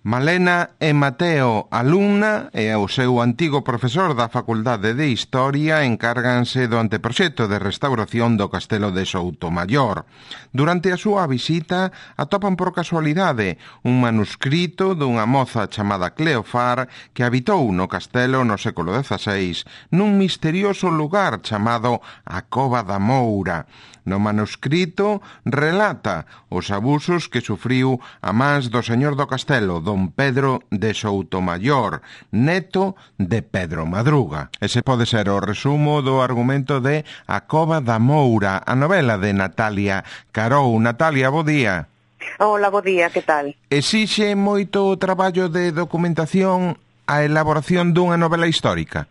Malena e Mateo, alumna, e o seu antigo profesor da Facultade de Historia encárganse do anteproxecto de restauración do Castelo de Soutomaior. Durante a súa visita atopan por casualidade un manuscrito dunha moza chamada Cleofar que habitou no castelo no século XVI nun misterioso lugar chamado a Cova da Moura. No manuscrito relata os abusos que sufriu a mans do señor do castelo, don Pedro de Soutomaior, neto de Pedro Madruga. Ese pode ser o resumo do argumento de A Cova da Moura, a novela de Natalia Carou. Natalia, bo día. Hola, bo día, que tal? Exixe moito traballo de documentación a elaboración dunha novela histórica?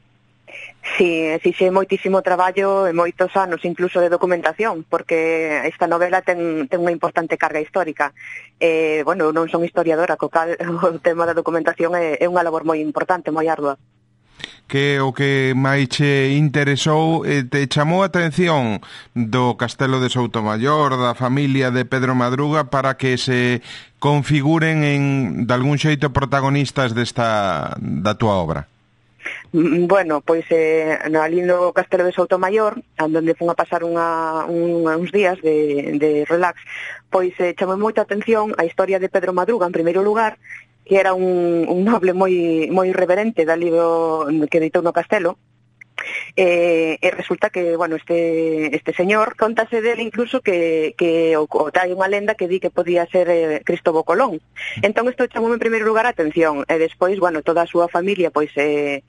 Sí, exixe moitísimo traballo e moitos anos incluso de documentación, porque esta novela ten unha importante carga histórica. Bueno, non son historiadora, co cal o tema da documentación é unha labor moi importante, moi ardua. Que o que máis che interesou, te chamou a atención do Castelo de Soutomaior, da familia de Pedro Madruga, para que se configuren de algún xeito protagonistas da túa obra? Bueno, pois ali no Castelo de Soutomaior, onde fun a pasar uns días de relax, pois chamou moita atención a historia de Pedro Madruga, en primeiro lugar, que era un noble moi reverente dali que editou no castelo. E resulta que, bueno, este señor, contase dele incluso que hai unha lenda que di que podía ser Cristóbal Colón. Entón isto chamou en primeiro lugar a atención, e despois, bueno, toda a súa familia pois é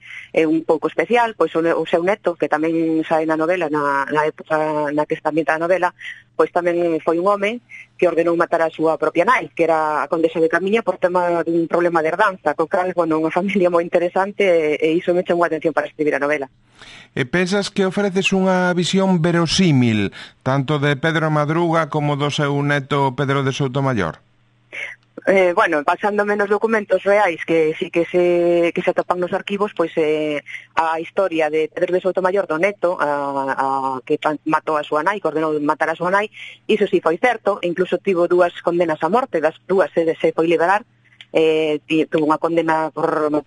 un pouco especial, pois o seu neto, que tamén sae na novela, na época na que está ambientada a novela, pois tamén foi un home que ordenou matar a súa propia nai, que era a condesa de Camiña, por tema dun problema de herdanza, co cal, bueno, unha familia moi interesante, e iso me chamou a atención para escribir a novela. E pensas que ofreces unha visión verosímil, tanto de Pedro Madruga como do seu neto Pedro de Soutomaior? Bueno, basándome nos documentos reais que sí que se atopan nos arquivos, pois a historia de Pedro de Soutomaior, do neto, que matou a súa nai, que ordenou matar a súa nai, iso sí foi certo, incluso tivo 2 condenas a morte, das 2 se foi liberar. Tuvo unha condena polo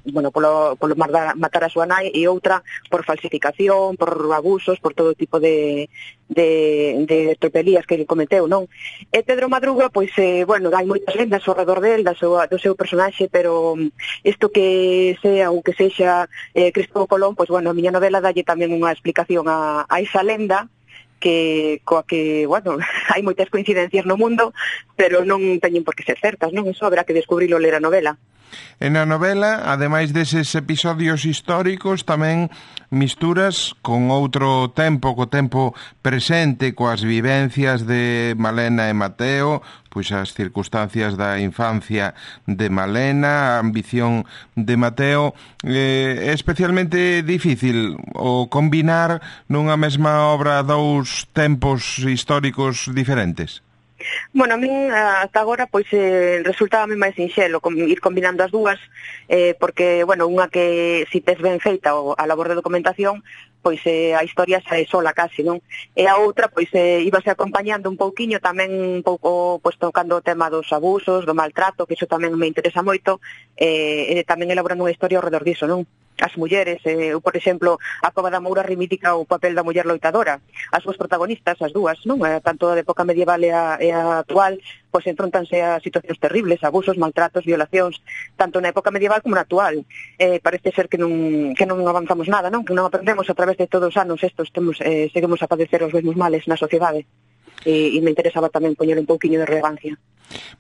matar a súa nai e outra por falsificación, por abusos, por todo tipo de tropelías que ele cometeu, non? E Pedro Madruga, pois, bueno, hai moitas lendas ao redor del, do seu personaxe, pero isto que sea ou que sexa Cristóbal Colón, pois, bueno, a miña novela dalle tamén unha explicación a esa lenda, coa que, bueno, hai moitas coincidencias no mundo, pero non teñen por que ser certas, non? Eso haberá que descubrilo ler a novela. En a novela, ademais deses episodios históricos, tamén misturas con outro tempo, co tempo presente, coas vivencias de Malena e Mateo, pois as circunstancias da infancia de Malena, a ambición de Mateo. É especialmente difícil o combinar nunha mesma obra 2 tempos históricos diferentes? Bueno, a min ata agora pois resultábame máis sinxelo ir combinando as dúas, porque, bueno, unha que si tes ben feita a labor de documentación, pois a historia xa é sola casi, non? E a outra, pois íbase acompañando un pouquiño tamén un pouco, pois tocando o tema dos abusos, do maltrato, que iso tamén me interesa moito, e tamén elaborando unha historia ao redor diso, non? As mulleres, por exemplo, a Cova da Moura reivindica o papel da muller loitadora. As súas protagonistas, as dúas, non? Tanto a época medieval e a actual, pois enfrontanse a situacións terribles, abusos, maltratos, violacións, tanto na época medieval como na actual. Parece ser que non avanzamos nada, non? Que non aprendemos a través de todos os anos estos, seguimos a padecer os mesmos males na sociedade. E me interesaba tamén poñer un pouquiño de relevancia.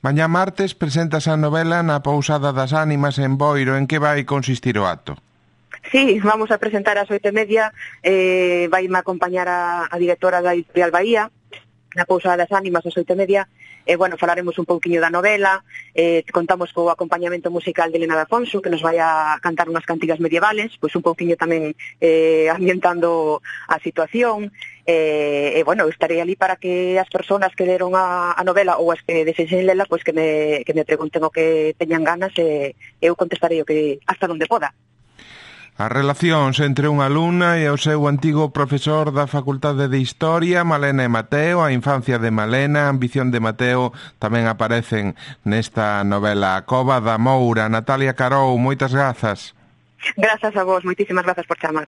Mañá martes presentas a novela na Pousada das Ánimas en Boiro. En que vai consistir o acto? Sí, vamos a presentar ás 8:30, vaime acompañar a directora da Editorial Bahía, na Pousada das Ánimas ás 8:30, bueno, falaremos un pouquiño da novela, contamos co acompañamento musical de Elena de Afonso, que nos vai a cantar unhas cantigas medievales, pois un pouquiño tamén ambientando a situación, bueno, estarei ali para que as persoas que leron a novela ou as que desexen lela, pois que me pregunten o que teñan ganas, e eu contestarei o que hasta onde poda. As relacións entre unha alumna e o seu antigo profesor da Facultade de Historia, Malena e Mateo, a infancia de Malena, a ambición de Mateo, tamén aparecen nesta novela A Cova da Moura. Natalia Carou, moitas grazas. Grazas a vos, moitísimas grazas por chamar.